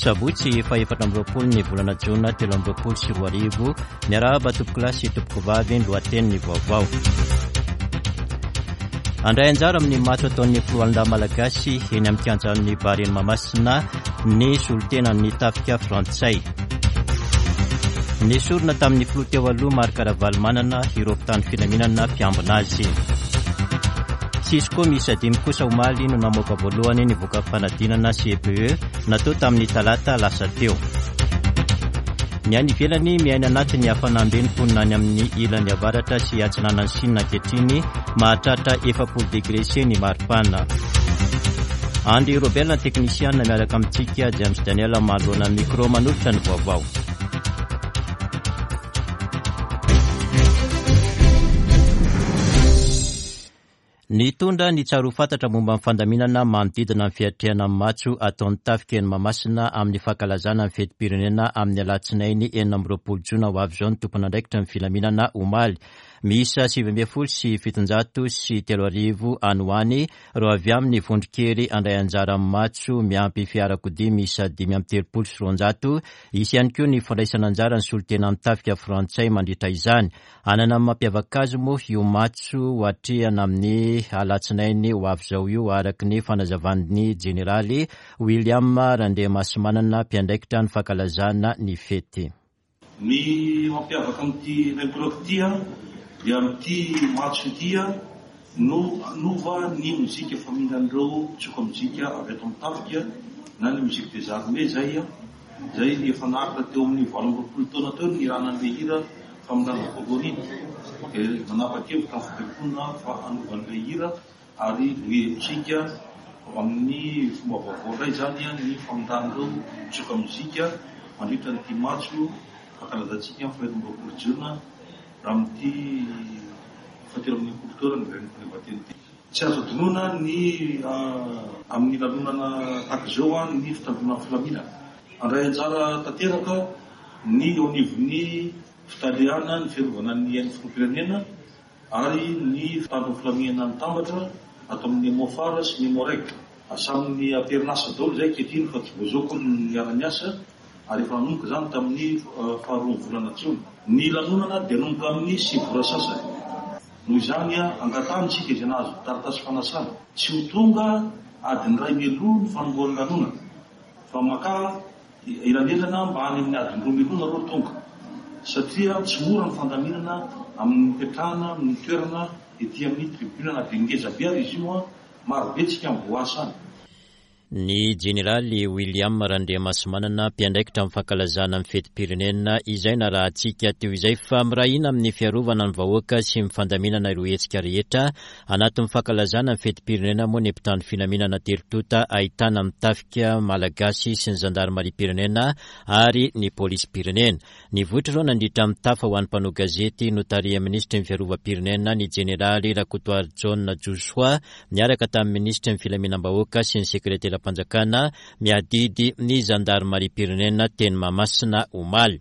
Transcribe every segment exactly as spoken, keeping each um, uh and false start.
Sabotsy faha-efatra amby roapolo ny volana jona telo amby roapolo sy roa arivo. Miarahaba tompokolahy sy tompokovavy, ny lohatenin'ny vaovao. Handray anjara amin'ny matso ataon'ny filohan'ny Malagasy eny amin'ny kianjan'ny Barea Mahamasina ny solontenan'ny tafika frantsay. Nesorina tamin'ny filoha teo aloha Marc Ravalomanana ireo mpitandro filaminana mpiambina azy. Cisco miisa dimy kosa omaly no namoaka voalohany ny voka-panadinana C E P E natao tamin'ny talata lasa teo. Ny any ivelany miaina anatin'ny hafanam-be ny mponina any amin'ny ilany avaratra sy atsinanan'i Sina ankehitriny, mahatratra efapolo degré C ny maripana. Andry Robert, teknisiana miaraka amintsika, James Daniel manoloana ny micro manolotra ny vaovao. Nitondra ny tsaro fantatra momba ny fandaminana manodidina ny fiatrehana ny matso ataon'ny tafika eny Mahamasina amin'ny fankalazana ny fetim-pirenena amin'ny alatsinainy enina amby roapolo jona ho avy izao ny tompon'andraikitra ny filaminana omaly. Miisa sivy ambin'ny folo sy fitonjato sy telo arivo any ho any ireo avy amin'ny vondron-kery handray anjara amin'ny matso miampy fiarakodia miisa dimy amby telopolo sy roanjato. Hisy ihany koa ny fandraisana anjara ny solontenan'ny tafika frantsay mandritra izany. Hanana ny mampiavaka azy moa io matso ho atrehana amin'ny alatsinainy ho avy izao io, araka ny fanazavan'ny jeneraly William Randriamasimanana, mpiandraikitra ny fankalazana ny fety. Ny mampiavaka amin'ity Remprok ity dia amin'ity matso ity no hanova ny mozika famindran'ireo mpitsoka mozika avy ato amin'ny tafika na ny musique des armées izay, izay efa naharitra teo amin'ny valo amby roapolo taona teo ny niranan'ilay hira famindrana voalohany iny. Dia nanapa-kevitra ny fibaikoana fa hanova an'ilay hira ary nohelotsika amin'ny fomba vaovao indray izany ny famindran'ireo mpitsoka mozika mandritra an'ity matso fankalazantsika amin'ny faha-enina amby roapolo jona raha amin'ity fahatelo amby enimpolo taona ny fahaleovantena ity. Tsy azo adinoina ny, ah, amin'ny lanonana tahaka izao ny fitandroana ny filaminana. Handray anjara tanteraka ny eo anivon'ny fitaleana ny fiarovana ny ain'ny filoham-pirenena ary ny fitandroana ny filaminana mitambatra ato amin'ny Emofar sy ny Emoreg. Samy am-perinasa daholo izay ankehitriny fa tsy voazao koa ny niara-niasa ary efa nanomboka izany tamin'ny faharoa volana jona. Ny lanonana dia nanomboka amin'ny sivy ora sasany. Noho izany, angatahana isika izay nahazo taratasy fanasana tsy ho tonga adiny iray mialoha ny fanombohan'ny lanonana fa maka elanelana mba any amin'ny adiny roa mialoha nareo tonga, satria tsy mora ny fandaminana amin'ny fipetrahana amin'ny toerana ety amin'ny tribune na dia ngeza be ary izy io, maro be tsika mivoasa any. Ny jeneraly William Randriamasimanana, mpiandraikitra amin'ny fankalazana ny fetim-pirenena izay narahantsika teo izay, fa mirahina amin'ny fiarovana ny vahoaka sy ny fandaminana ireo hetsika rehetra anatin'ny fankalazana ny fetim-pirenena moa ny mpitandro filaminana telo tonta ahitana ny tafika malagasy sy ny zandarimariam-pirenena ary ny polisim-pirenena. Nivoitra ireo nandritra ny tafa ho an'ny mpanao gazety notarihan'ny minisitry ny fiarovam-pirenena ny jeneraly Rakotoarijaona Josoa niaraka tamin'ny minisitry ny filaminam-bahoaka sy ny sekreteram-panjakana miadidy ny zandarimariam-pirenena teny Mahamasina omaly.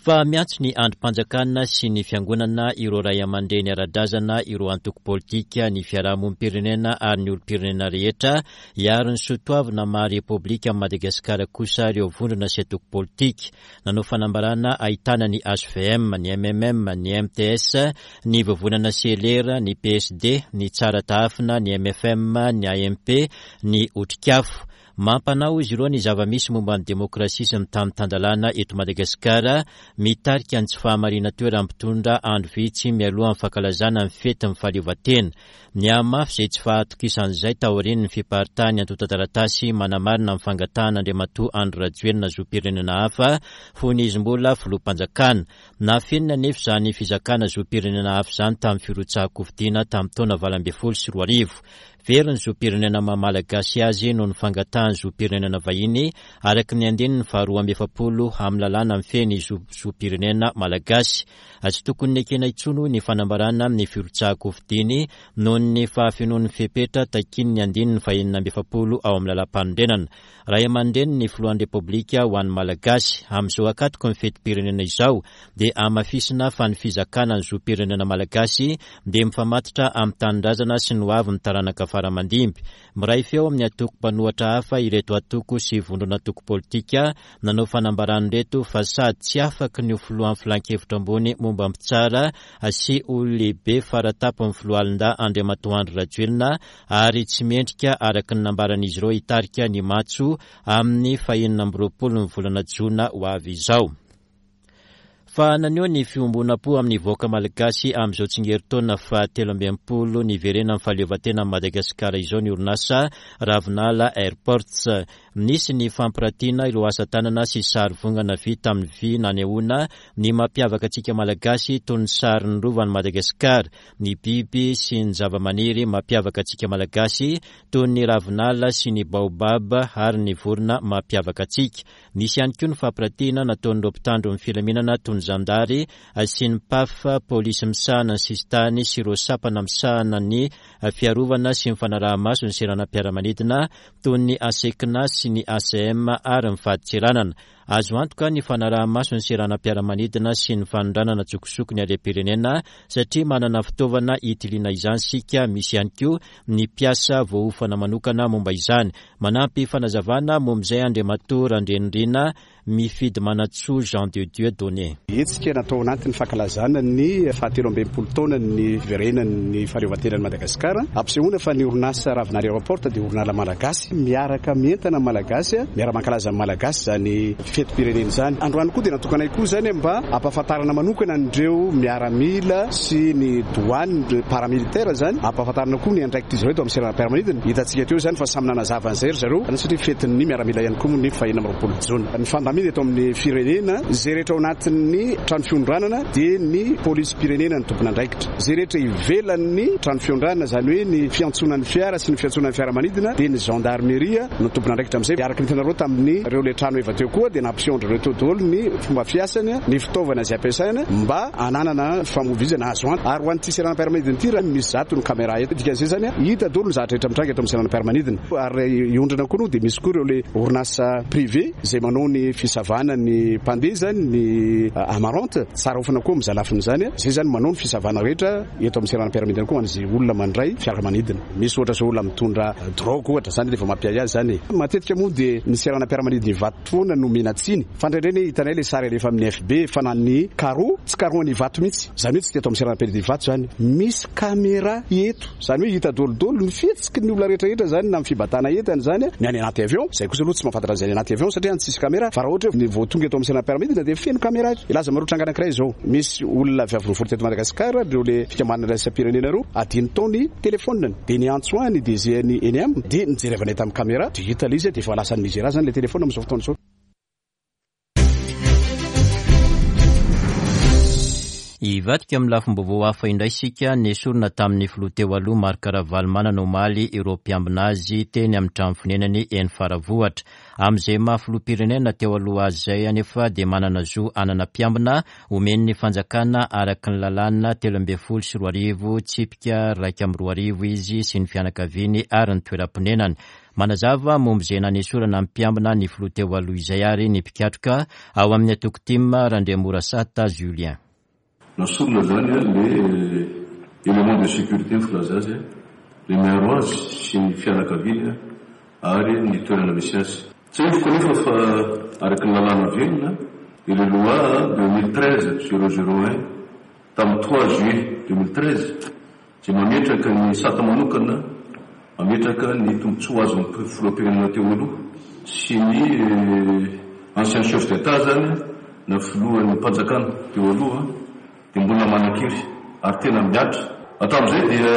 Fa miantso ny andrim-panjakana sy ny fiangonana ireo ray aman-dreny ara-drazana, ireo antoko politika, ny fiarahamonim-pirenena ary ny olom-pirenena rehetra hiaro ny soatoavina maha Repoblika Madagasikara kosa ireo vondrona sy antoko politika. Nanao fanambarana ahitana ny H V M, ny M M M, ny M T S, ny Vovonana C L R, ny P S D, ny Tsara Tahafina, ny M F M, ny A M P, ny Otrikafo. Mampanao izy ireo ny zava-misy momba ny demokrasia sy ny tany tan-dalàna eto Madagasikara, mitarika ny tsy fahamarinan-toeran'ny mpitondra andro vitsy mialoha ny fankalazana ny fetin'ny fahaleovantena. Nihamafy izay tsy fahatokisan'izay taorian'ny fiparitahan'ny antontan-taratasy manamarina ny fangatahan'Andriamatoa Andry Rajoelina zom-pirenena hafa fony izy mbola filoham-panjakana. Nafenina anefa izany fizakana zom-pirenena hafa izany tamin'ny firotsahan-kofidina tamin'ny taona valo ambin'ny folo sy roa arivo. Very ny zom-pirenena maha malagasy azy noho ny fangatahany zom-pirenena vahiny araka ny andininy faharoa amby efapolo amin'ny lalàna mifehy ny zo-, zom-pirenena malagasy. Tsy tokony nekena intsony hoy ny fanambarana ny firotsahan-kofidiny noho ny fahafenoan'ny fepetra takian'ny andininy fahenina amby efapolo ao amin'ny lalàm-panorenana. Ray aman-dreny ny filohan'ny Repoblika ho an'ny Malagasy. Amin'izao ankatoky ny fetim-pirenena izao dia hamafisina fa ny fizakana ny zom-pirenena malagasy dia mifamatotra amin'ny tanindrazana sy ny hoavin'ny taranaka faramandimby. Miray feo amin'ny antoko mpanohitra hafa ireto antoko sy vondron'antoko politika nanao fanambarana ireto fa sady tsy afaky ny ho filohan'ny filankevitra ambony momba ny mpitsara sy olon-lehibe faratampony filoalindahy Andriamatoa Andry Rajoelina ary tsy mendrika araka ny nambaran'izy ireo hitarika ny matso amin'ny fahenina amby roapolo ny volana jona ho avy izao. Fa naneho ny fiombonam-po amin'ny vahoaka malagasy amin'izao tsingerin-taona fahatelo amby enimpolo niverenan'ny fahaleovantena Madagasikara izao ny orinasa Ravinala Airports. Nisy ny fampiratiana ireo asa tanana sy sary vongana vita amin'ny vy nanehoana ny mampiavaka antsika malagasy toy ny sarin'ny rovan'i Madagasikara, ny biby sy ny zavamaniry mampiavaka antsika malagasy toy ny ravinala sy ny baobab ary ny vorona mampiavaka antsika. Nisy ihany koa ny fampiratiana nataon'ireo mpitandro ny filaminana toy ny zandary sy ny P A F, polisy misahana ny sisintany sy ireo sampana misahana ny fiarovana sy ny fanaraha-maso ny seranam-piaramanidina toy ny A S E C N A sy ny A C M ary ny fadintseranana. Azo antoka ny fanaraha-maso ny seranam-piaramanidina sy ny fanondranana tsokosoko ny harem-pirenena satria manana fitaovana hitiliana izany sika. Misy ihany koa ny mpiasa voaofana manokana momba izany. Manampy fanazavana momba izay Andriamatoa Randrianirina Mifidy Manantsoa Jean de Dieu Donné. Hetsika natao anatin'ny fankalazana ny fahatelo amby enimpolo taona ny fiverenan'ny fahaleovantenan'i Madagasikara. Ampisehoana fa ny orinasa Ravinala Airport dia orinasa malagasy miaraka mientana malagasy, miara-mankalaza amin'ny malagasy izany fetim-pirenena izany. Androany koa dia natokanay koa izany mba hampahafantarana manokana an'ireo miaramila sy ny douane, ny paramilitaire izany, hampahafantarana koa ny andraikitr'izy ireo eto amin'ny seranam-piaramanidina. Hitantsika teo izany fa samy nanazava an'izay ry zareo, satria fetin'ny miaramila ihany koa moa ny fahenina amby roapolo jona. Ny fandamina eto amin'ny firenena, izay rehetra ao anatin'ny trano fiondranana dia ny polisim-pirenena no tompon'andraikitra. Izay rehetra ivelan'ny trano fiondranana, izany hoe ny fiantsonan'ny fiara sy ny fiantsonan'ny fiaramanidina, dia ny gendarmerie no tompon'andraikitra amin'izay. Araka ny hitanareo tamin'ny ireo le trano eva teo koa dia nampisehoan-dry ireo teo daholo ny fomba fiasany, ny fitaovana izay ampiasaina mba hananana famovizana azo antoka. Ary ho an'ity seranam-piaramanidina ity raha misy zato ny caméra eto, dikan'izay izany hita daholo ny zavatra rehetra mitranga eto amin'ny seranam-piaramanidina. Ary iondrana koa no dia misy koa ireo le orinasa privé izay manao ny fisavana ny mpandeha izany, ny amarante, tsara ofana koa amin'izay lafiny izany, izay izany manao ny fisavana rehetra eto amin'ny seranam-piaramanidina koa ho an'izay olona mandray fiaramanidina. Misy ohatra izao olona mitondra drogue ohatra izany rehefa mampiahiahy izany. Matetika moa dia ny seranam-piaramanidina Ivato foana no omena tsiny. Fa indraindray anie hitanay ilay sary alefa amin'ny F B fa na ny carreau, tsy carreau an'i Ivato mihitsy. Izany hoe tsy teto amin'ny seranam-piaramanidina Ivato izany. Misy caméra eto. Izany hoe hita daholo ny fihetsiky ny olona rehetrarehetra izany na amin'ny fibatana entana izany, ny any anaty avion. Izay kosa aloha tsy mahafantatra an'izay any anaty avion satria any tsisy caméra. Fa raha ohatra hoe ny vao tonga eto amin'ny seranam-piaramanidina dia feno caméra eto. Ilaza marotra anankiray izao. Misy olona avy avy nivory teto Madagasikara, ireo le fikambanana iraisam-pirenena ireo, adino tao ny telefoniny. Dia niantso ahy ny D G ny N M, dia nijery avy any tamin'ny caméra, dia hita ilay izy, dia efa lasa any Nigeria izany ilay telefona amin'izao fotoana izao. Hivadika amin'ny lafim-baovao hafa indray isika. Nesorina tamin'ny filoha teo aloha Marc Ravalomanana omaly ireo mpiambina azy teny amin'ny trano fonenany eny Faravohitra. Amin'izay maha filoham-pirenena teo aloha azy izay anefa dia manana zo hanana mpiambina omen'ny fanjakana araka ny lalàna telo ambin'ny folo sy roa arivo tsipika iraika amby roa arivo izy sy ny fianakaviany ary ny toeram-ponenany. Manazava momba izay nanesorana ny mpiambina ny filoha teo aloha izay ary ny mpikatroka ao amin'ny antoko T I M Randriamorasata Julien. Nasorina zany le élément de sécurité ny filaza azy, le miaro azy sy ny fianakaviany ary ny toerana misy azy. Tsiahiviko anefa fa araka ny lalàna velona dia le loi deux mille treize zéro zéro un tamin'ny trois juillet deux mille treize izay mametraka ny sata manokana, mametraka ny tombontsoa azon'ny filoham-pirenena teo aloha sy ny ancien chef d'état zany na filohan'ny mpanjakana teo aloha dia mbola manan-kery ary tena miatra. Hatramin'izay dia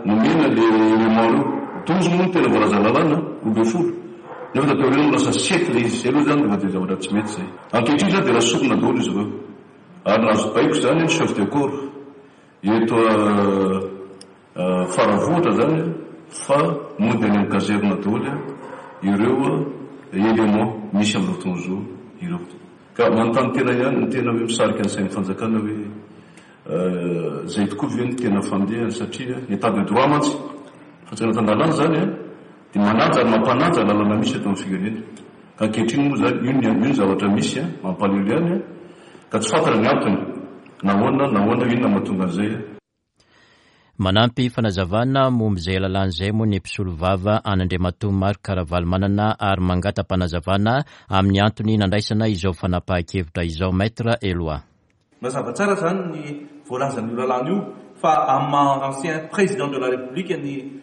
nomena le élément ireo. Douze moa no tena voalaza lalàna, roa ambin'ny folo. Nefa taty aoriana lasa sept ilay izy. Izay aloha izany dia efa zavatra tsy mety izay. Ankehitriny izany dia nasorina daholo izy ireo. Ary nahazo baiko izany ny chef de corps eto Faravohitra izany fa mody any amin'ny caserne daholo ireo élément misy amin'ireo fotoana izao ireo. Ka manontany tena ihany ny tena hoe misarika ny sain'ny fanjakana hoe izay tokoa ve ny tena fandehany, satria ny état de droit mantsy fanjakana tan-dalàna izany dia manaja ary mampanaja ny lalàna misy eto amin'ny firenena. Ka ankehitriny moa izany io ny, io ny zavatra misy mampalahelo ihany, ka tsy fantatra ny antony nahoana, nahoana, inona mahatonga an'izay. Manampy fanazavana momba izay lalàna izay moa ny mpisolovava an'Andriamatoa Marc Ravalomanana ary mangata-panazavana amin'ny antony nandraisana izao fanapahan-kevitra izao. Maître Eloi. Mazava tsara zany ny voalazan'io lalàna io fa amin'ny maha ancien président de la République ny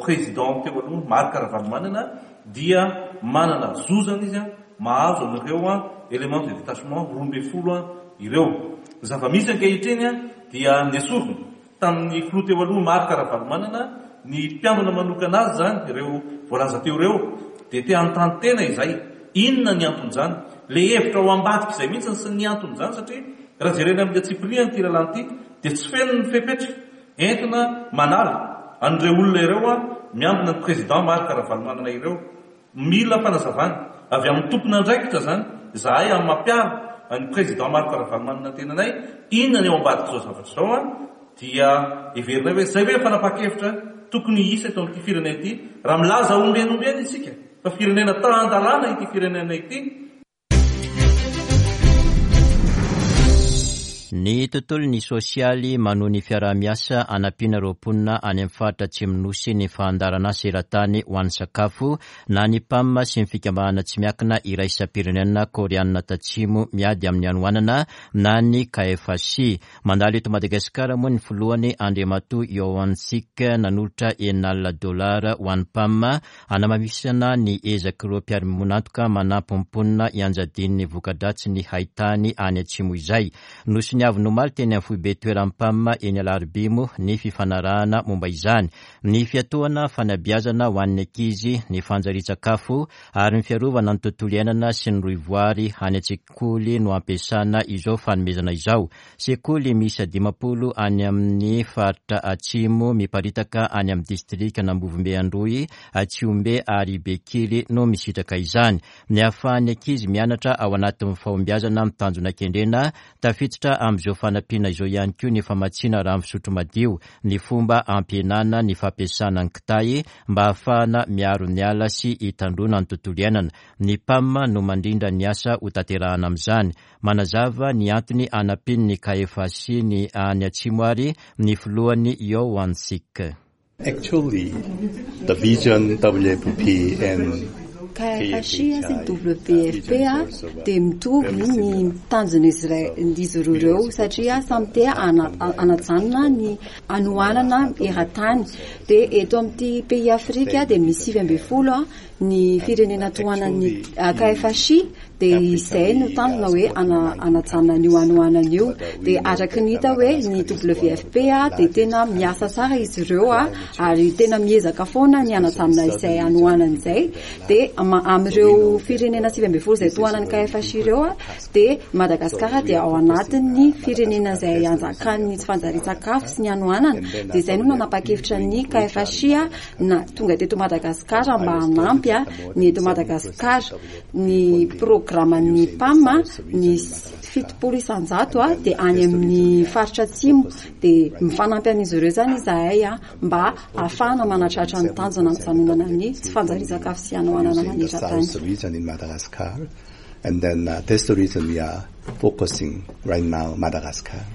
président teo aloha Marc Ravalomanana dia manana zo zany izy mahazo an'ireo élément de détachement roa ambin'ny folo ireo. Zava-misy ankehitriny dia nesorina tamin'ny filoha teo aloha Marc Ravalomanana ny mpiambina manokana azy zany ireo voalaza teo ireo, dia te hanontany tena izay inona ny anton'izany, le hevitra ao ambadika izay mihitsy sy ny anton'izany, satria raha jerena amin'ny antsipiriany ity lalàna ity dia tsy feno ny fepetra entina manala an'ireo olona ireo miambina ny président Marc Ravalomanana ireo. Mila fanazavana avy amin'ny tompon'andraikitra zany izahay amin'ny mampiaro ny président Marc Ravalomanana tenanay, inona ny ao ambadika izao zavatra izao, dia heverinay hoe zay ve fanapahan-kevitra tokony hisy eto amin'ity firenena ity raha milaza ombieny ombieny isika fa firenena tan-dalàna ity firenena ity. Ny tontolo ny sosialy manohy ny fiaraha-miasa anampiana ireo mponina any amin'ny faritra Atsimo-Nosy ny fandaharanasa eran-tany ho an'ny sakafo na ny PAM sy ny fikambanana tsy miankina iraisam-pirenena Koreana Tatsimo miady amin'ny hanoanana na ny K F H I. Mandalo eto Madagasikara moa ny filohany Andriamatoa Yohansik nanolotra enina alina dolara ho an'ny PAM hanamafisana ny ezak'ireo mpiara-monantoka manampy ny mponina hianjadian'ny voka-dratsy ny haitany any Atsimo izay. Nosoniavina omaly teny amin'ny foibe toeran'ny PAM eny Alarobia moa ny fifanarahana momba izany. Ny fiatohana fanabeazana ho an'ny ankizy, ny fanjarian-tsakafo ary ny fiarovana ny tontolo iainana sy ny rohivoary any an-tsekoly no ampiasana izao fanomezana izao. Sekoly miisa dimampolo any amin'ny faritra Atsimo miparitaka any amin'ny distrikan'Ambovombe Androy, Atsiombe ary Bekily no misitraka izany. Ny ahafahan'ny ankizy mianatra ao anatin'ny fahombiazana amin'ny tanjona kendrena, tafiditra amin'izao fanampiana izao ihany koa ny famatsiana rano fisotro madio, ny fomba ampihenana ny fampiasana ny kitay mba ahafahana miaro ny ala sy hitandroana ny tontolo iainana. Ny PAM no mandrindra ny asa ho tanterahana amin'izany. Manazava ny antony anampian'ny K F H I ny any Atsimo ary ny filohany Yohansik. Actually, the vision W F P and K F H I sy W F P dia mitovy ny tanjon'izy roa ireo satria samy te hanajanona ny hanoanana eran-tany. Dia eto amin'ity pays Afrika dia misy sivy ambin'ny folo ny firenena tohanan'ny K F H I, dia izay no tanjona hoe hanajanona an'io hanoanana io. Dia araka ny hita hoe ny W F P dia tena miasa tsara izy ireo ary tena miezaka foana ny hanajanona izay hanoanana izay. Dia amin'ireo firenena sivy ambin'ny folo izay tohanan'ny K F H I ireo dia Madagasikara dia ao anatin'ny firenena izay anjakan'ny tsy fanjarian-tsakafo sy ny hanoanana. Dia izay no nanapa-kevitra ny K F H I na tonga teto Madagasikara mba hanampy ny eto Madagasikara. Ny programan'ny P A M ny fitopolo isanjato dia any amin'ny faritra Atsimo, dia mifanampy amin'izy ireo izany izahay mba ahafahana manatratra ny tanjona nijanonana ny tsy fanjarian-tsakafo sy hanoanana maneran-tany. And then, uh, that's the reason we are focusing right now Madagascar.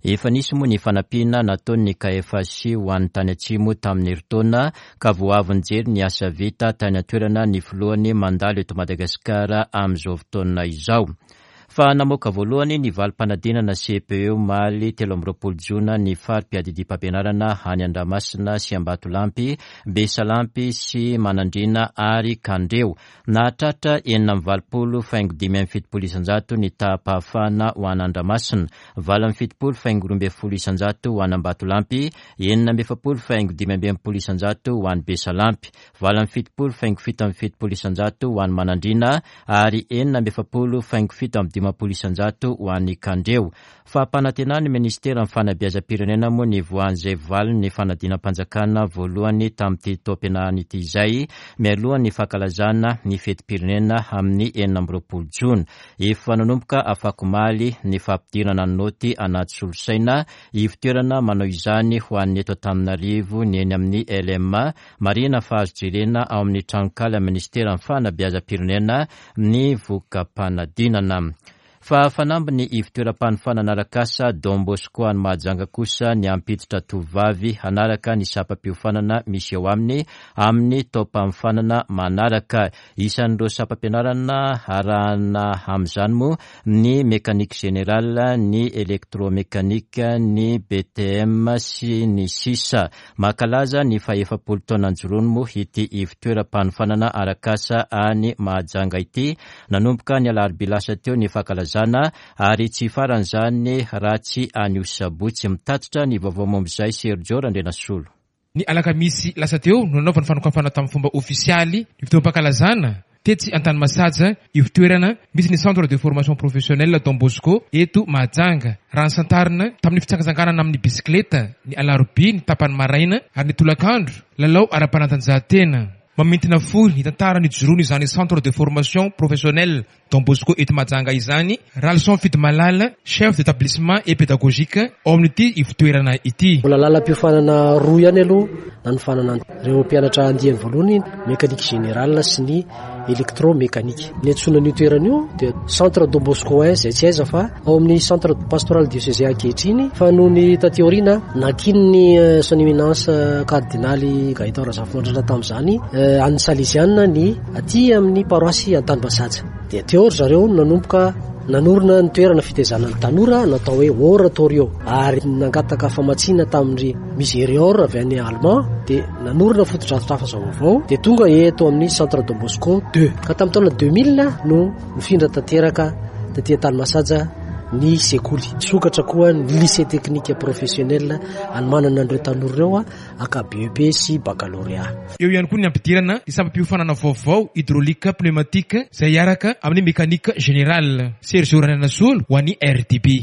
Efa nisy moa ny fanampiana nataon'ny K F H I ho an'ny tany Atsimo tamin'ny herintaona ka vao avy nijery ny asa vita tany an-toerana ny filohany mandalo eto Madagasikara amin'izao fotoana izao. Fa namoaka voalohany ny valim-panadinana C P E omaly telo amby roapolo jona ny fari-piadidiam-pampianarana any Andramasina sy Ambatolampy, Besalampy sy Manandriana ary Kandreho. Nahatratra enina amby valopolo faingo dimy amby fitopolo isanjato ny taham-pahafahana ho an'Andramasina, valo amby fitopolo faingo roa ambin'ny folo isanjato ho an'Ambatolampy, enina amby efapolo faingo dimy amby enimpolo isanjato ho an'i Besalampy, valo amby fitopolo faingo fito amby fitopolo isanjato ho an'i Manandriana ary enina amby efapolo faingo fito amby dimampolo isanjato ho an'i Kandreho. Fampanantenan'ny ministeran'ny fanabeazam-pirenena moa ny voan'izay valin'ny fanadinam-panjakana voalohany tamin'ity taom-pianarana ity izay mialohan'ny fankalazana ny fetim-pirenena amin'ny enina amby roapolo jona. Efa nanomboka afakomaly ny fampidirana ny naoty anaty solosaina, ivotoerana manao izany ho an'ny eto Antananarivo ny eny amin'ny L M A. Marihina fa azo jerena ao amin'ny tranonkala ministeran'ny fanabeazam-pirenena ny voka-panadinana. Fa fanamby ny ivon-toeram-panofanana arak'asa Don Bosco any Mahajanga kosa ny hampiditra tovovavy hanaraka ny sampam-piofanana misy eo aminy amin'ny taom-panofanana manaraka. Isan'ireo sampam-pianarana arahana amin'izany moa ny mécanique générale, ny électromécanique, ny B T M sy ny sisa. Mankalaza ny fahefapolo taona nijoroany moa ity ivon-toeram-panofanana arak'asa any Mahajanga ity. Nanomboka ny alarobia lasa teo ny fankalazana ary tsy faran'izany raha tsy anio sabotsy. Mitatitra ny vaovao momba izay Sergio Randrianasolo. Ny alakamisy lasa teo no nanaovany fanokafana tamin'ny fomba ofisialy ny fotoam-pankalazana tetsy Antanimasaja, ivon-toerana misy ny centre de formation professionnelle Don Bosco eto Mahajanga. Raha ny santarina tamin'ny fitsangatsanganana amin'ny bisikileta ny alarobia ny tapany maraina ary ny tolakandro lalao ara-panatanjahantena. Mamintina fohy ny tantara nijoroany izany centre de formation professionnelle Don Bosco eto Mahajanga izany Ralson Fidimalala, chef d'établissement et pédagogique ao amin'ity ivon-toerana ity. Mbola lalam-piofanana roa ihany aloha nanofanana ireo mpianatra andiany voalohany, mécanique générale sy ny électromécanique. Ny antsoina an'io toerana io dia centre Don Bosco un izay tsy aiza fa ao amin'ny centre pastoral diocésain ankehitriny, fa noho ny taty aoriana nakinin'ny son éminence cardinaly Gaëtan Razafimandrana tamin'izany an'ny Salesiana ny aty amin'ny paroasy Antanimasaja. Dia teo ry zareo no nanomboka nanorina ny toerana fitaizana ny tanora natao hoe oratorio, ary nangataka famatsiana tamin'ny Miserior avy any Allemand, dia nanorina fotodrafitrasa vaovao, dia tonga eto amin'ny centre Don Bosco deux. Ka tamin'ny taona deux mille no nifindra tanteraka taty Antanimasaja ny sekoly. Nisokatra koa ny lycée technique professionnel anomanana an'ireo tanora ireo aka B E P sy baccalauréat. Eo ihany koa ny ampidirana ny sampam-piofanana vaovao hydraulique pneumatique izay hiaraka amin'ny mécanique générale. Sergio Randrianasolo ho an'ny R T B.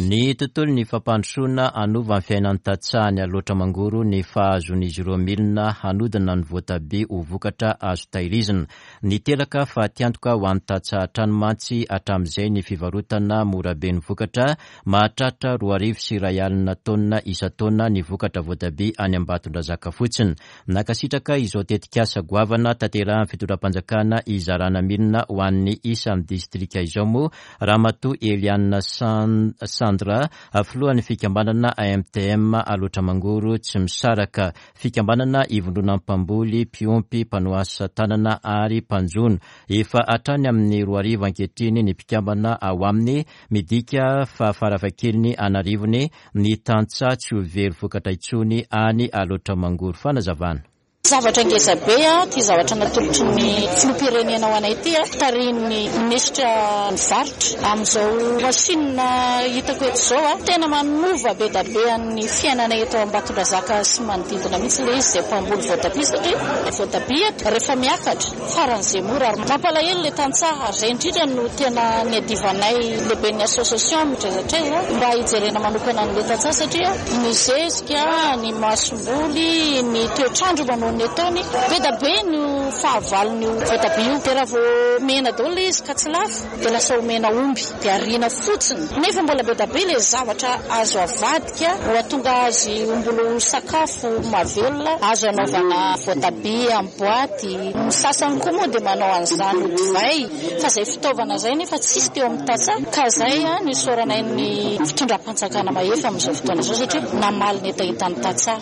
Ny tontolo ny fampandrosoana hanova ny fiainan'ny tantsaha ny Alaotra Mangoro ny fahazoan'izy ireo milina hanodina ny voatabia ho vokatra azo tahirizina. Niteraka fatiantoka ho an'ny tantsaha hatrany mantsy hatramin'izay ny fivarotana morabe ny vokatra mahatratra roa arivo sy iray alina taonina isan-taona ny vokatra voatabia any Ambatondrazaka fotsiny. Nankasitraka izao tetikasa goavana tanterahan'ny fitondram-panjakana izarana milina ho an'ny isan'ny distrika izao moa Ramatoa Eliana San-, Sandra, filohan'ny fikambanana A M T M Alaotra Mangoro tsy misaraka, fikambanana ivondrona mpamboly, mpiompy, mpanao asa tanana ary mpanjono. Efa hatrany amin'ny roa arivo ankehitriny ny mpikambana ao aminy, midika fa farafahakeliny an'arivony ny tantsaha tsy ho very vokatra intsony any Alaotra Mangoro. Fanazavana. Zavatra ngeza be a, ty zavatra natolotry ny filoham-pirenena ho anay ity a, tarihin'ny minisitra ny varotra. Amin'izao machine hitako eto izao a, tena manova be dia be an'ny fiainana eto Ambatondrazaka sy manodidina mihitsy ilay izy izay mpamboly voatabia, satria voatabia eto rehefa miakatra faran'izay mora ary mampalahelo ilay tantsaha. Ary izay indrindra no tena niadivanay lehiben'ny association mitraizatraiza mba hijerena manokana an'ilay tantsaha, satria ny zezika, ny masomboly, ny toetrandro manao ny ataony be dia be no fahavalon'io voatabia io. Dia raha vao mena daholo ilay izy ka tsy lafo dia lasa omena omby dia ariana fotsiny, nefa mbola be dia be ilay zavatra azo avadika ho atonga azy ho mbola ho sakafo mahavelona, azo anaovana voatabia amin'ny boaty. Ny sasany koa moa dia manao an'izany ho divay, fa izay fitaovana izay nefa tsisy teo amin'ny tantsaha, ka izay a no isaoranay ny fitondram-panjakana mahefa amin'izao fotoana izao, satria namaly ny hetahetan'ny tantsaha.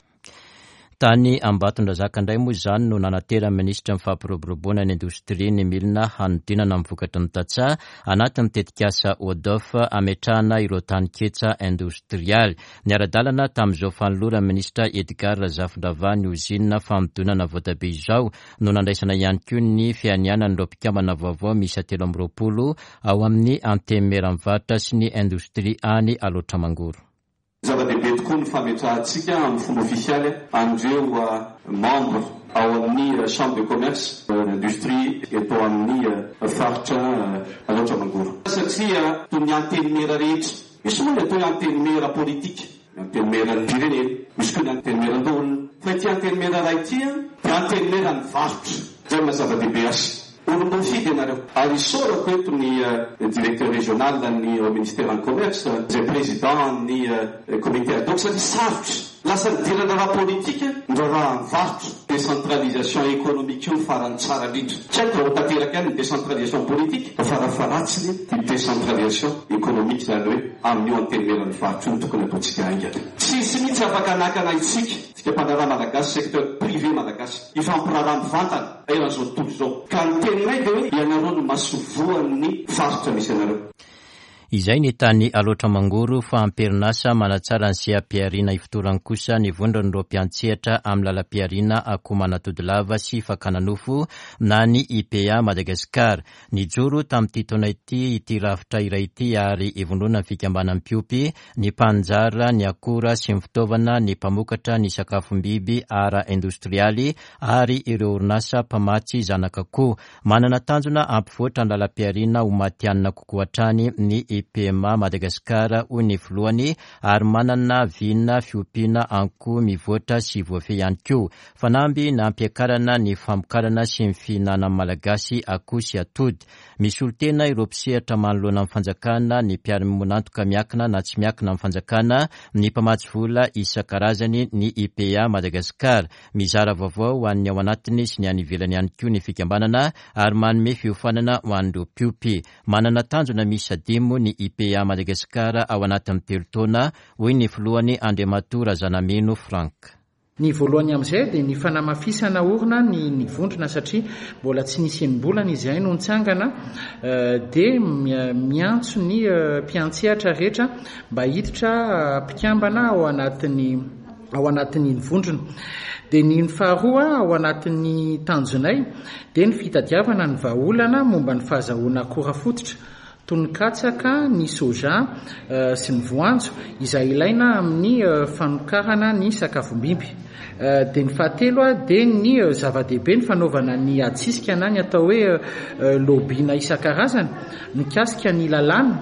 Tany Ambatondrazaka indray moa izany no nanateran'ny minisitra ny fampiroboroboana ny indostria ny milina hanodinana ny vokatry ny tantsaha anatin'ny tetikasa O D O F ametrahana ireo taninketsa indostrialy. Niara-dalana tamin'izao fanoloran'ny minisitra Edgar Razafindravahy ny ozinina fanodinana voatabia izao no nandraisana ihany koa ny fianianan'ireo mpikambana vaovao miisa telo amby roapolo ao amin'ny Antenimieran'ny varotra sy ny indostria any Alaotra Mangoro. Zava-dehibe tokoa ny fametrahantsika amin'ny fomba ofisialy an'ireo membre ao amin'ny chambre de commerce industrie eto amin'ny faritra Alaotra Mangoro. Satria toy ny antenimiera rehetra, misy moa ny atao hoe antenimiera politika, ny antenimieran'ny firenena, misy koa ny antenimieran-doholona. Fa ity antenimiera iray ity dia antenimieran'ny varotra. Izay no maha zava-dehibe azy. Olom-boafidy ianareo. Ary isaorako eto ny directeur régional ny ao ministère ny commerce, izay président ny comité ad hoc, satria sarotra. Lasa nidirana raha politika ny raharahan'ny varotra. Décentralisation économique io farany tsara indrindra. Tsy haiko raha ho tanteraka ihany ny décentralisation politique fa farafaharatsiny ny décentralisation économique, izany hoe amin'io antenimieran'ny varotra io no tokony ataontsika haingana. Tsisy mihitsy afaka hanakana isika, tsika mpandraharaha malagasy, secteur privé malagasy, hifampiraharaha mivantana eran'izao tontolo izao. Ka ny teninay dia hoe ianareo no masoivohon'ny faritra misy anareo. Izay ny tany Alaotra Mangoro fa am-perinasa manatsara ny seha-pihariana ifotorany kosa ny vondron'ireo mpiantsehatra amin'ny lalam-pihariana akoho manatody lava sy fakana nofo na ny I P A Madagasikara. Nijoro tamin'ity taona ity ity rafitra iray ity ary ivondrona ny fikambanan'ny mpiompy, ny mpanjara, ny akora sy ny fitaovana, ny mpamokatra, ny sakafom-biby ara-indostrialy ary ireo orinasa mpamatsy zanak'akoho. Manana tanjona hampivoatra ny lalam-pihariana ho matihanina kokoa hatrany ny I P M A Madagasikara, hoy ny filohany, ary manana vina fiompiana akoho mivoatra sy voafehy ihany koa. Fanamby nampiakarana ny famokarana sy ny fihinanan'ny Malagasy akoho sy atody. Misolo tena ireo mpisehatra manoloana ny fanjakana, ny mpiara-miombon'antoka miankina na tsy miankina amin'ny fanjakana, ny mpamatsy vola isan-karazany, ny I P A Madagasikara. Mizara vaovao ho an'ny ao anatiny sy ny any ivelany ihany koa ny fikambanana ary manome fiofanana ho an'ireo mpiompy. Manana tanjona miisa dimy ny I P A Madagasikara ao anatin'ny telo taona, hoy ny filohany Andriamatoa Razanamino Frank. Ny voalohany amin'izay dia ny fanamafisana orina ny, ny vondrona satria mbola tsy nisy enim-bolana izahay no nitsangana, dia miantso ny mpiantsehatra rehetra mba hiditra mpikambana ao anatin'ny, ao anatin'ny vondrona. Dia ny faharoa ao anatin'ny tanjonay dia ny fitadiavana ny vahaolana momba ny fahazahoana akora fototra toy ny katsaka, ny soja sy ny voanjo izay ilaina amin'ny fanokarana ny sakafom-biby. Dia ny fahatelo dia ny zava-dehibe ny fanaovana ny adisisika na ny atao hoe lobby-na isan-karazany mikasika ny lalàna,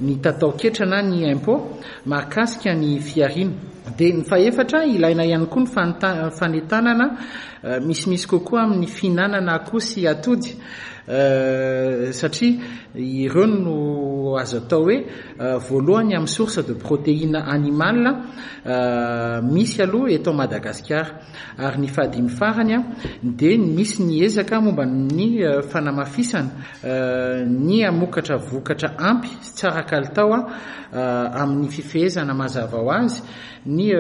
ny tataoketra na ny impôt mahakasika ny fihariana. Dia ny fahefatra ilaina ihany koa ny fanta-, fanentanana misimisy kokoa amin'ny fihinanana akoho sy atody, satria ireo no azo atao hoe voalohany amin'ny source de protéine animale misy aloha eto Madagasikara. Ary ny fahadimy farany dia misy ny ezaka momba ny fanamafisana ny hamokatra vokatra ampy sy tsara kalitao amin'ny fifehezana mazava ho azy ny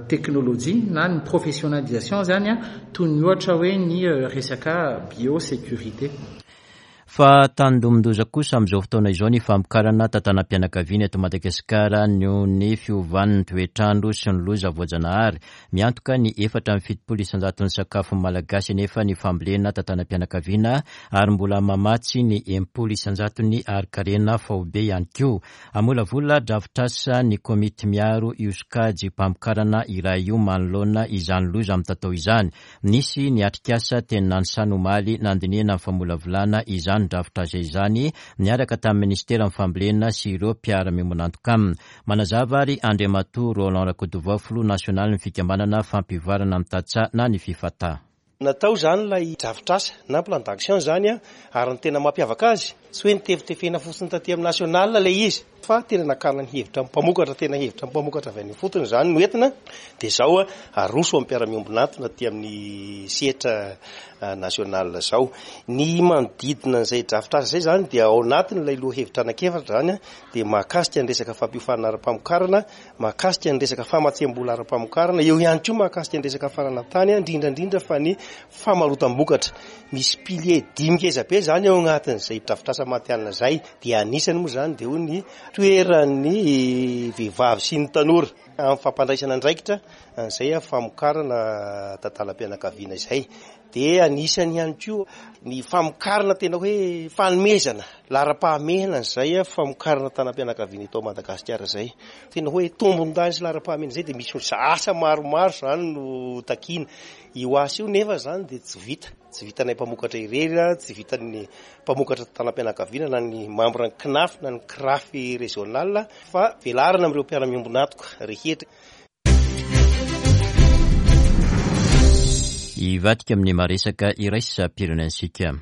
teknôlôjia na ny professionnalisation zany, toy ny ohatra hoe ny resaka biosécurité. Fa tandindomin-doza kosa amin'izao fotoana izao ny famokarana tantanam-pianakaviana eto Madagasikara noho ny fiovan'ny toetrandro sy ny loza voajanahary. Miantoka ny efatra amby fitopolo isan-jaton'ny sakafo malagasy anefa ny fambolena tantanam-pianakaviana ary mbola mamatsy ny enimpolo isan-jaton'ny harin-karena faobe ihany koa. Hamolavola drafitrasa ny komity miaro io sokajy mpamokarana iray io manoloana izany loza mitatao izany. Nisy ny atrikasa teny Nanisana omaly nandinihana ny famolavolana izany drafitrasa izany niaraka tamin'ny ministeran'ny fambolena sy ireo mpiara-miombon'antoka aminy. Manazava ary Andriamatoa Roland Rakotovao, filoha nasionalin'ny fikambanana fampivoarana ny tantsaha na ny FIFATA. Natao izany ilay drafitrasa na plan d'action izany, ary ny tena mampiavaka azy tsy hoe nitefitefena fotsiny taty amin'ny national ilay izy fa tena nakana ny hevitra mpamokatra, tena hevitra mpamokatra avy any ifotony izany no entina. Dia izao aroso amin'ny mpiara-miombon'antoka aty amin'ny sehatra national izao. Ny manodidina an'izay drafitrasa izay izany dia ao anatin'ilay lohahevitra anankiefatra izany, dia mahakasika ny resaka fampiofanana ara-pamokarana, mahakasika ny resaka famatsiam-bola ara-pamokarana, eo ihany koa mahakasika ny resaka fananantany, indrindra indrindra fa ny famarotam-bokatra. Misy pilier dimy ngeza be izany ao anatin'izay drafitrasa matihanina izay. Dia anisany moa izany dia ho ny toeran'ny vehivavy sy ny tanora amin'ny fampandraisana andraikitra an'izay famokarana tantanam-pianakaviana izay. Dia anisany ihany koa ny famokarana tena hoe fanomezana laharam-pahamehana an'izay famokarana tanam-pianakaviana eto Madagasikara izay. Tena hoe tombon-dany sy laharam-pahamehana izay dia misy asa maromaro izany no takiana. Io asa io nefa izany dia tsy vita, tsy vitanay mpamokatra irery, tsy vitan'ny mpamokatra tanam-pianakaviana na ny membre ny C N A F na ny C R A F régional fa velarana amin'ireo mpiara-miombon'antoka rehetra. Hivadika amin'ny maresaka iraisam-pirenentsika.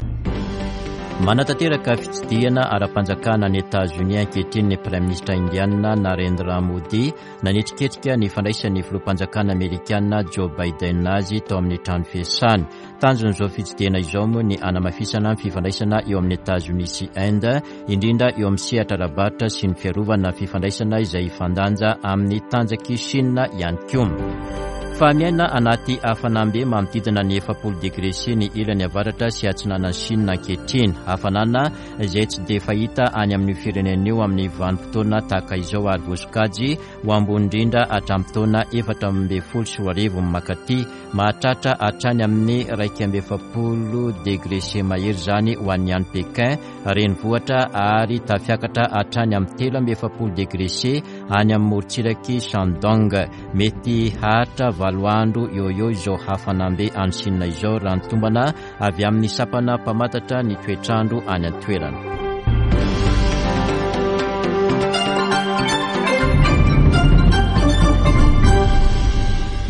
Manatanteraka fitsidihana ara-panjakana any Etazonia ankehitriny ny Praiminisitra indiana Narendra Modi. Nanetriketrika ny fandraisan'ny filoham-panjakana amerikana Joe Biden azy tao amin'ny trano fiasany. Tanjon'izao fitsidihana izao moa ny hanamafisana ny fifandraisana eo amin'ny Etazonia sy Inde, indrindra eo amin'ny sehatra ara-barotra sy ny fiarovana fifandraisana izay hifandanja amin'ny tanjak'i Chine ihany koa. Fa miaina anaty hafanam-be manodidina ny efapolo degré C ny ilany avaratra sy atsinanan'i Chine ankehitriny. Hafanana izay tsy dia fahita any amin'io firenena io amin'ny vanim-potoana tahaka izao ary voasokajy ho ambony indrindra hatramin'ny taona efatra ambin'ny folo sy roa arivo mankaty. Mahatratra hatrany amin'ny iraika amby efapolo degré C mahery izany ho an'ny any Pékin renivohitra ary tafiakatra hatrany amin'ny telo amby efapolo degré C any amin'ny morontsiraky Shandong. Mety haharitra valo andro eo eo izao hafanam-be any Chine izao raha ny tombana avy amin'ny sampana mpamantatra ny toetrandro any an-toerana.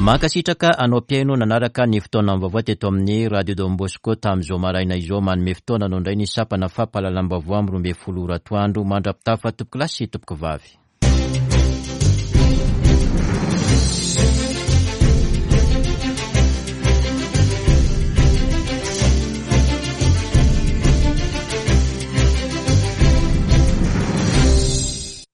Mankasitraka anao mpihaino nanaraka ny fotoana vaovao teto amin'ny Radio Don Bosco tamin'izao maraina izao. Manome fotoana anao indray ny sampana fampahalalam-baovao amin'ny roa ambin'ny folo ora atoandro. Mandra-pitafa tompoko lahy sy tompoko vavy.